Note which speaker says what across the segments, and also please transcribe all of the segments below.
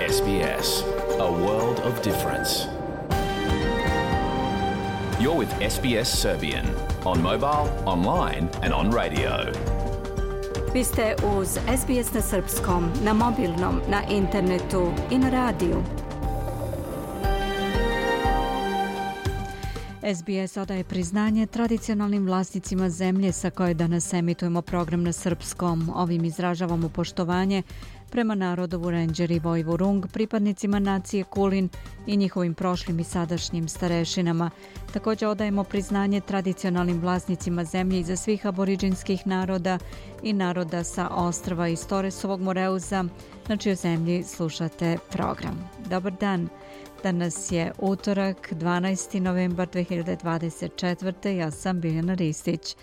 Speaker 1: SBS, a world of difference. You're with SBS Serbian on mobile, online and on radio.
Speaker 2: Vi ste uz SBS na srpskom, na mobilnom, na internetu i na radiju. SBS odaje priznanje tradicionalnim vlasnicima zemlje sa koje danas emitujemo program na srpskom. Ovim izražavamo poštovanje prema narodu Vurenđer i Vojvurung, pripadnicima nacije Kulin i njihovim prošlim i sadašnjim starešinama. Također odajemo priznanje tradicionalnim vlasnicima zemlje iza svih aboriđinskih naroda i naroda sa ostrva iz Toresovog Moreuza, na čijoj zemlji slušate program. Dobar dan! Danas je utorak, 12. novembar 2024. Ja sam Biljana Ristić.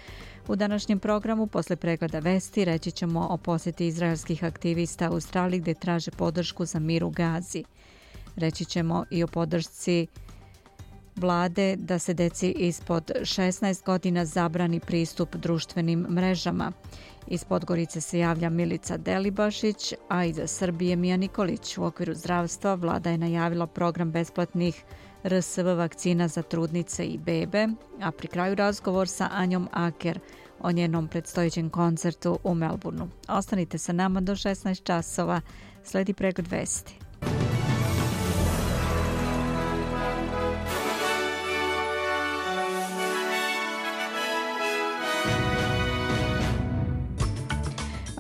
Speaker 2: U današnjem programu, posle pregleda vesti, reći ćemo o posjeti izraelskih aktivista u Australiji gdje traže podršku za mir u Gazi. Reći ćemo i o podršci vlade da se deci ispod 16 godina zabrani pristup društvenim mrežama. Iz Podgorice se javlja Milica Delibašić, a iza Srbije Mija Nikolić. U okviru zdravstva vlada je najavila program besplatnih RSV vakcina za trudnice i bebe, a pri kraju razgovor sa Anjom Aker o njenom predstojećem koncertu u Melbourneu. Ostanite sa nama do 16 časova, sledi pregled vesti.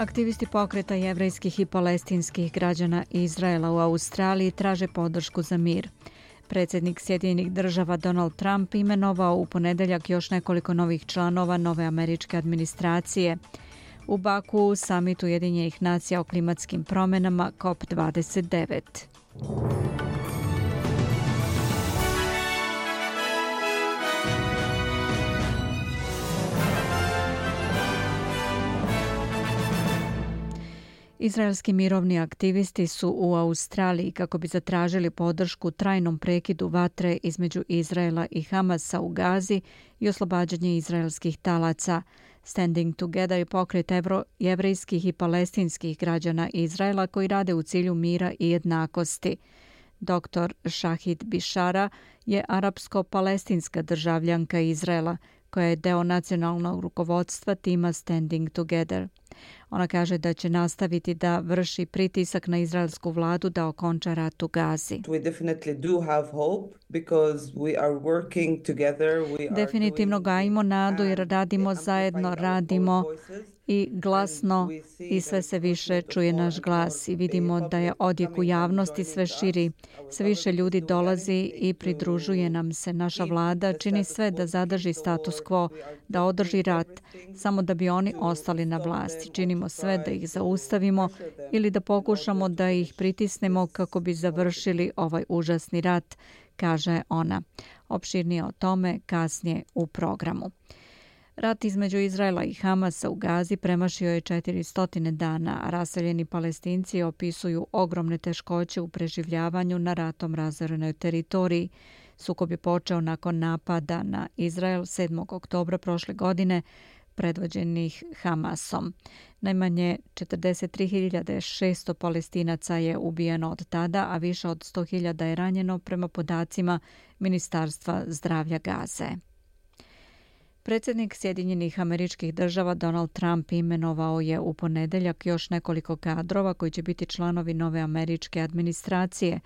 Speaker 2: Aktivisti pokreta jevrejskih i palestinskih građana Izraela u Australiji traže podršku za mir. Predsjednik Sjedinjenih država Donald Trump imenovao u ponedjeljak još nekoliko novih članova nove američke administracije. U Baku summit Ujedinjenih nacija o klimatskim promjenama COP29. Izraelski mirovni aktivisti su u Australiji kako bi zatražili podršku trajnom prekidu vatre između Izraela i Hamasa u Gazi i oslobađanje izraelskih talaca. Standing Together je pokret jevrejskih i palestinskih građana Izraela koji rade u cilju mira i jednakosti. Dr. Shahid Bishara je arapsko-palestinska državljanka Izraela koja je deo nacionalnog rukovodstva tima Standing Together. Ona kaže da će nastaviti da vrši pritisak na izraelsku vladu da okonča rat u Gazi. Definitivno gajimo nadu jer radimo zajedno, radimo i glasno i sve se više čuje naš glas i vidimo da je odjek u javnosti sve širi. Sve više ljudi dolazi i pridružuje nam se. Naša vlada čini sve da zadrži status quo, da održi rat, samo da bi oni ostali na vlasti. Činimo sve da ih zaustavimo ili da pokušamo da ih pritisnemo kako bi završili ovaj užasni rat, kaže ona. Opširnije o tome kasnije u programu. Rat između Izraela i Hamasa u Gazi premašio je 400 dana, a raseljeni Palestinci opisuju ogromne teškoće u preživljavanju na ratom razorenoj teritoriji. Sukob je počeo nakon napada na Izrael 7. oktobra prošle godine, predvođenih Hamasom. Najmanje 43.600 Palestinaca je ubijeno od tada, a više od 100.000 je ranjeno prema podacima Ministarstva zdravlja Gaze. Predsjednik Sjedinjenih Američkih Država Donald Trump imenovao je u ponedjeljak još nekoliko kadrova koji će biti članovi nove američke administracije.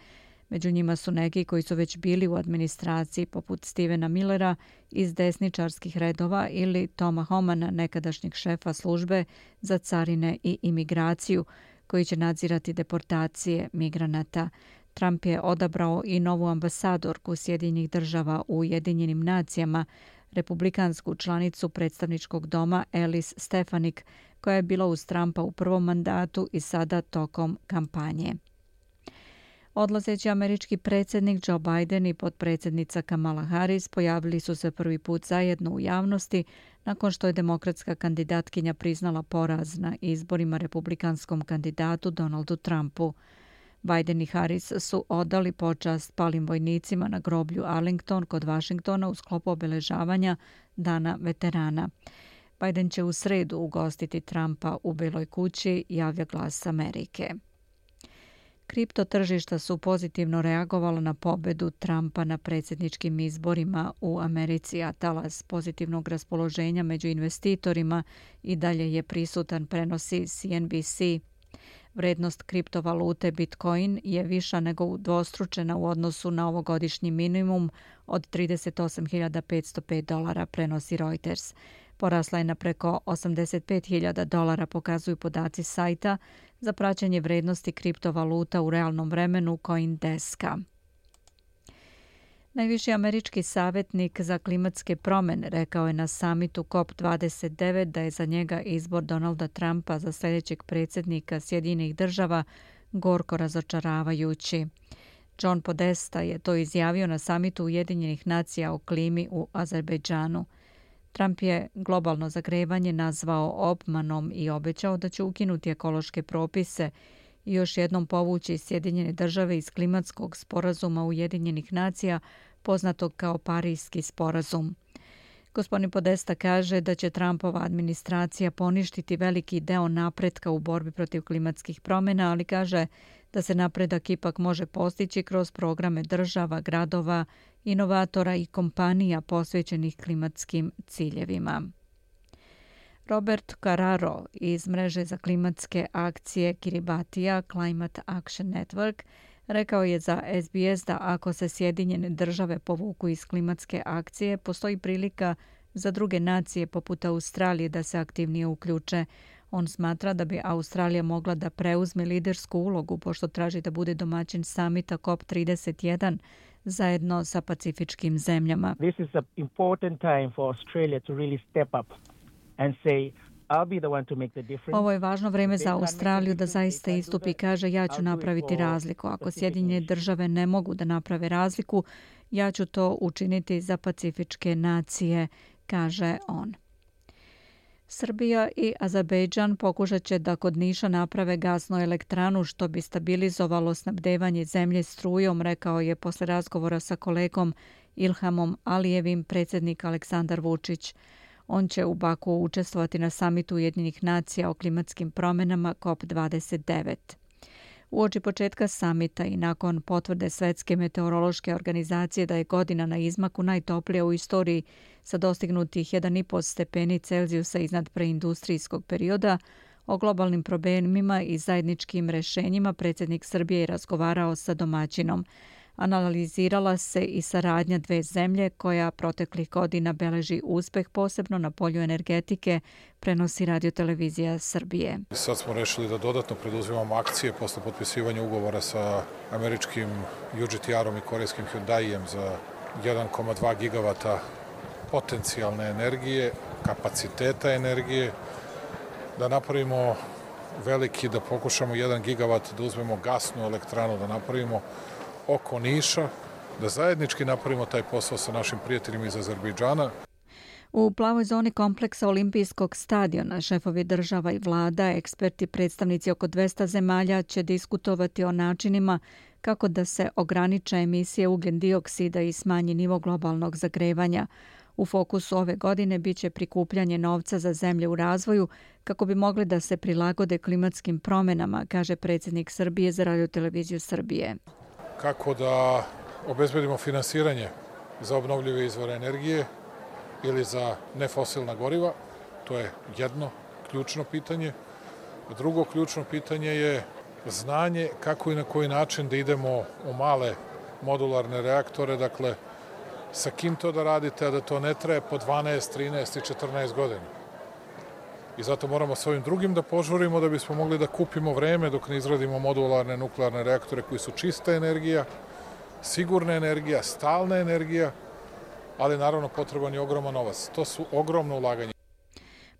Speaker 2: Među njima su neki koji su već bili u administraciji poput Stevena Millera iz desničarskih redova ili Toma Homana, nekadašnjeg šefa službe za carine i imigraciju, koji će nadzirati deportacije migranata. Trump je odabrao i novu ambasadorku Sjedinjenih država u Ujedinjenim nacijama, republikansku članicu predstavničkog doma Alice Stefanik, koja je bila uz Trumpa u prvom mandatu i sada tokom kampanje. Odlazeći američki predsjednik Joe Biden i potpredsjednica Kamala Harris pojavili su se prvi put zajedno u javnosti nakon što je demokratska kandidatkinja priznala poraz na izborima republikanskom kandidatu Donaldu Trumpu. Biden i Harris su odali počast palim vojnicima na groblju Arlington kod Washingtona u sklopu obeležavanja Dana veterana. Biden će u sredu ugostiti Trumpa u Beloj kući, javlja Glas Amerike. Kripto tržišta su pozitivno reagovala na pobedu Trumpa na predsjedničkim izborima u Americi, a talas pozitivnog raspoloženja među investitorima i dalje je prisutan, prenosi CNBC. Vrednost kriptovalute Bitcoin je viša nego udvostručena u odnosu na ovogodišnji minimum od $38.505, prenosi Reuters. Porasla je na preko $85.000, pokazuju podaci sajta za praćenje vrednosti kriptovaluta u realnom vremenu CoinDeska. Najviši američki savjetnik za klimatske promjene rekao je na samitu COP29 da je za njega izbor Donalda Trumpa za sljedećeg predsjednika Sjedinjenih država gorko razočaravajući. John Podesta je to izjavio na samitu Ujedinjenih nacija o klimi u Azerbejdžanu. Trump je globalno zagrevanje nazvao obmanom i obećao da će ukinuti ekološke propise i još jednom povući Sjedinjene države iz klimatskog sporazuma Ujedinjenih nacija, poznatog kao Parijski sporazum. Gospodin Podesta kaže da će Trumpova administracija poništiti veliki deo napretka u borbi protiv klimatskih promjena, ali kaže da se napredak ipak može postići kroz programe država, gradova, inovatora i kompanija posvećenih klimatskim ciljevima. Robert Carraro iz mreže za klimatske akcije Kiribatija Climate Action Network rekao je za SBS da ako se Sjedinjene države povuku iz klimatske akcije, postoji prilika za druge nacije poput Australije da se aktivnije uključe. On smatra da bi Australija mogla da preuzme lidersku ulogu pošto traži da bude domaćin samita COP31 zajedno sa pacifičkim zemljama.
Speaker 3: This is an important time for Australia to really step up and say I'll be the one to make the difference.
Speaker 2: Ovo je važno vrijeme za Australiju da zaista istupi i kaže ja ću napraviti razliku. Ako Sjedinjene države ne mogu da naprave razliku, ja ću to učiniti za pacifičke nacije, kaže on. Srbija i Azerbejdžan pokušat će da kod Niša naprave gasnu elektranu što bi stabilizovalo snabdevanje zemlje strujom, rekao je posle razgovora sa kolegom Ilhamom Alijevim predsjednik Aleksandar Vučić. On će u Baku učestvovati na samitu Ujedinjenih nacija o klimatskim promjenama COP29. Uoči početka samita i nakon potvrde Svetske meteorološke organizacije da je godina na izmaku najtoplija u istoriji sa dostignutih 1,5 stepeni Celzijusa iznad preindustrijskog perioda, o globalnim problemima i zajedničkim rješenjima predsjednik Srbije je razgovarao sa domaćinom. Analizirala se i saradnja dve zemlje koja proteklih godina beleži uspeh posebno na polju energetike, prenosi Radio-televizija Srbije.
Speaker 4: Sad smo rešili da dodatno preduzimamo akcije posle potpisivanja ugovora sa američkim UGT-om i korejskim Hyundaijem za 1,2 gigavata potencijalne energije, kapaciteta energije, da napravimo veliki, da pokušamo 1 gigavat da uzmemo gasnu elektranu, da napravimo oko Niša, da zajednički napravimo taj posao sa našim prijateljima iz Azerbejdžana.
Speaker 2: U plavoj zoni kompleksa Olimpijskog stadiona šefovi država i vlada, eksperti, predstavnici oko 200 zemalja će diskutovati o načinima kako da se ograniče emisije ugljen dioksida i smanji nivo globalnog zagrevanja. U fokusu ove godine biće prikupljanje novca za zemlje u razvoju kako bi mogli da se prilagode klimatskim promjenama, kaže predsjednik Srbije za Radio-televiziju Srbije.
Speaker 4: Kako da obezbedimo finansiranje za obnovljive izvore energije ili za nefosilna goriva, to je jedno ključno pitanje. Drugo ključno pitanje je znanje kako i na koji način da idemo u male modularne reaktore, dakle sa kim to da radite, a da to ne traje po 12, 13 i 14 godina. I zato moramo s ovim drugim da požurimo da bismo mogli da kupimo vreme dok ne izradimo modularne nuklearne reaktore koji su čista energija, sigurna energija, stalna energija, ali naravno potreban je ogroman novac. To su ogromno ulaganje.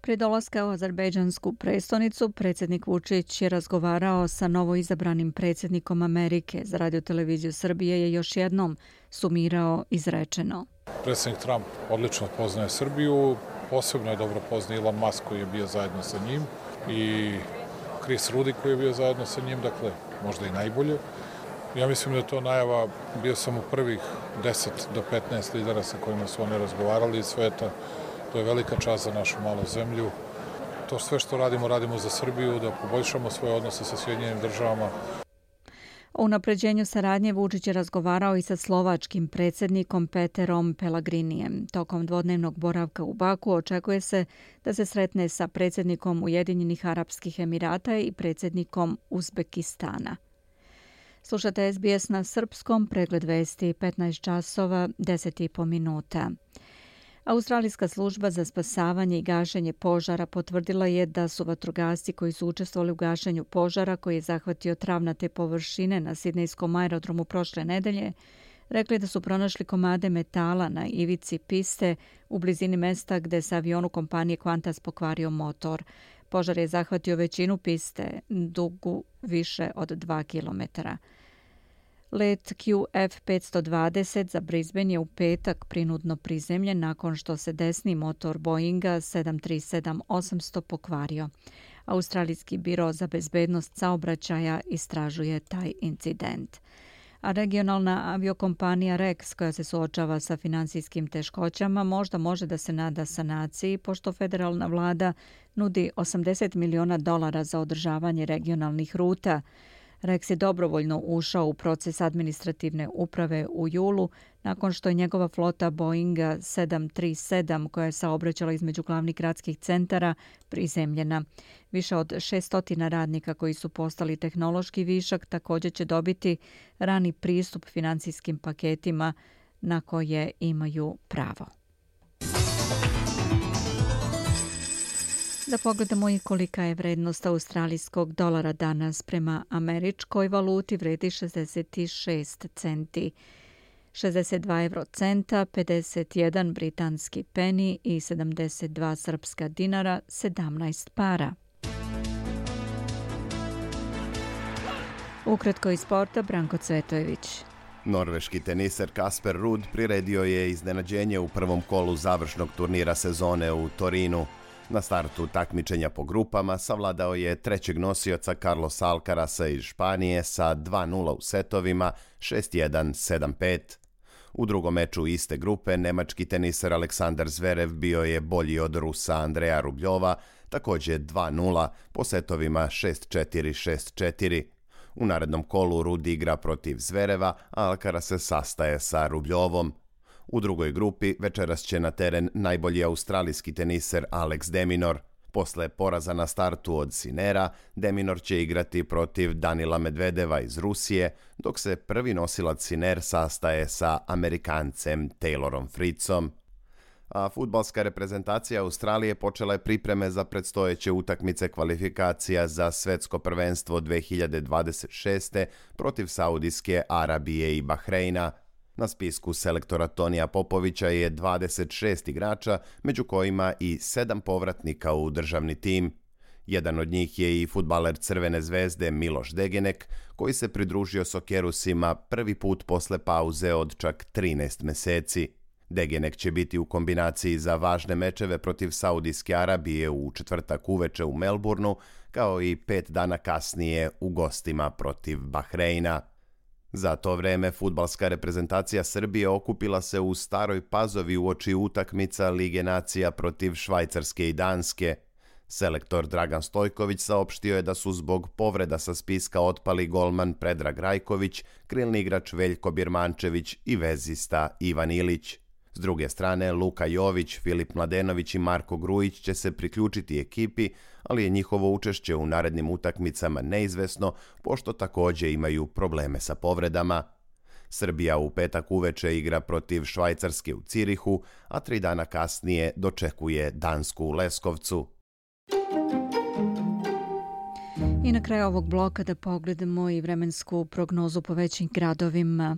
Speaker 2: Prije dolaska u azerbejdžansku prestonicu, predsjednik Vučić je razgovarao sa novoizabranim predsjednikom Amerike. Za Radio-televiziju Srbije je još jednom sumirao izrečeno.
Speaker 4: Predsjednik Trump odlično poznaje Srbiju, posebno je dobro poznaje Elon Musk koji je bio zajedno sa njim i Chris Rudy koji je bio zajedno sa njim, dakle možda i najbolje. Ja mislim da je to najava, bio sam u prvih 10 do 15 lidera sa kojima su oni razgovarali iz sveta. To je velika čast za našu malu zemlju. To sve što radimo, radimo za Srbiju, da poboljšamo svoje odnose sa Sjedinjenim državama.
Speaker 2: O unapređenju saradnje Vučić je razgovarao i sa slovačkim predsjednikom Peterom Pellegrinijem. Tokom dvodnevnog boravka u Baku očekuje se da se sretne sa predsjednikom Ujedinjenih Arapskih Emirata i predsjednikom Uzbekistana. Slušate SBS na srpskom, pregled vesti 15 časova, 10,5 minuta. Australijska služba za spasavanje i gašenje požara potvrdila je da su vatrogasci koji su učestvovali u gašenju požara koji je zahvatio travnate površine na sidnejskom aerodromu prošle nedelje rekli da su pronašli komade metala na ivici piste u blizini mesta gde se avionu kompanije Qantas pokvario motor. Požar je zahvatio većinu piste, dugu više od 2 kilometara. Let QF520 za Brisbane je u petak prinudno prizemljen nakon što se desni motor Boeinga 737-800 pokvario. Australijski biro za bezbednost saobraćaja istražuje taj incident. A regionalna aviokompanija Rex, koja se suočava sa finansijskim teškoćama, možda može da se nada sanaciji, pošto federalna vlada nudi $80 miliona za održavanje regionalnih ruta. Rex je dobrovoljno ušao u proces administrativne uprave u julu nakon što je njegova flota Boeinga 737 koja je saobraćala između glavnih gradskih centara prizemljena. Više od 600 radnika koji su postali tehnološki višak također će dobiti rani pristup financijskim paketima na koje imaju pravo. Da pogledamo i kolika je vrednost australijskog dolara danas. Prema američkoj valuti vredi 66 centi, 62 eurocenta, 51 britanski peni i 72 srpska dinara, 17 para. Ukratko iz sporta, Branko Cvetojević.
Speaker 5: Norveški teniser Kasper Ruud priredio je iznenađenje u prvom kolu završnog turnira sezone u Torinu. Na startu takmičenja po grupama savladao je trećeg nosioca Carlosa Alcarasa iz Španije sa 2:0 u setovima, 6:1, 7:5. U drugom meču iste grupe nemački teniser Aleksandar Zverev bio je bolji od Rusa Andreja Rubljova, također 2:0 po setovima 6:4, 6:4. U narednom kolu Ruud igra protiv Zvereva, a Alcaraz se sastaje sa Rubljovom. U drugoj grupi večeras će na teren najbolji australijski teniser Alex de Minaur. Posle poraza na startu od Sinera, de Minaur će igrati protiv Danila Medvedeva iz Rusije, dok se prvi nosilac Siner sastaje sa Amerikancem Taylorom Fritzom. A fudbalska reprezentacija Australije počela je pripreme za predstojeće utakmice kvalifikacija za svetsko prvenstvo 2026. protiv Saudijske Arabije i Bahreina. Na spisku selektora Tonija Popovića je 26 igrača, među kojima i 7 povratnika u državni tim. Jedan od njih je i fudbaler Crvene zvezde Miloš Degenek, koji se pridružio Sokerusima prvi put posle pauze od čak 13 meseci. Degenek će biti u kombinaciji za važne mečeve protiv Saudijske Arabije u četvrtak uveče u Melbourneu, kao i 5 dana kasnije u gostima protiv Bahreina. Za to vreme fudbalska reprezentacija Srbije okupila se u Staroj Pazovi uoči utakmica Lige nacija protiv Švajcarske i Danske. Selektor Dragan Stojković saopštio je da su zbog povreda sa spiska otpali golman Predrag Rajković, krilni igrač Veljko Birmančević i vezista Ivan Ilić. S druge strane, Luka Jović, Filip Mladenović i Marko Grujić će se priključiti ekipi, ali je njihovo učešće u narednim utakmicama neizvesno, pošto također imaju probleme sa povredama. Srbija u petak uveče igra protiv Švajcarske u Cirihu, a 3 dana kasnije dočekuje Dansku u Leskovcu.
Speaker 2: I na kraju ovog bloka da pogledamo i vremensku prognozu po većim gradovima.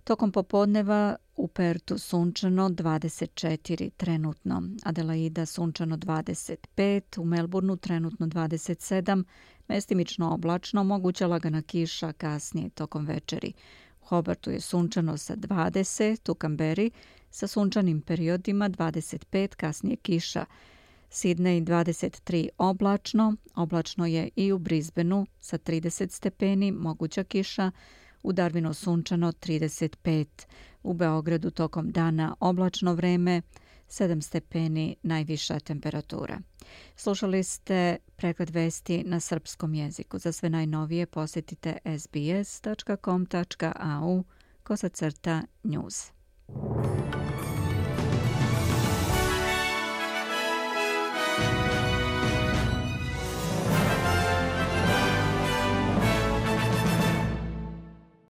Speaker 2: Tokom popodneva u Pertu sunčano 24 trenutno, Adelaida sunčano 25, u Melbourneu trenutno 27, mestimično oblačno, moguća lagana kiša kasnije tokom večeri. U Hobartu je sunčano sa 20, u Kamberi sa sunčanim periodima 25, kasnije kiša. Sidney 23 oblačno, oblačno je i u Brisbaneu sa 30 stepeni, moguća kiša. U Darwinu sunčano 35, u Beogradu tokom dana oblačno vreme, 7 stepeni najviša temperatura. Slušali ste pregled vesti na srpskom jeziku. Za sve najnovije posjetite sbs.com.au/news.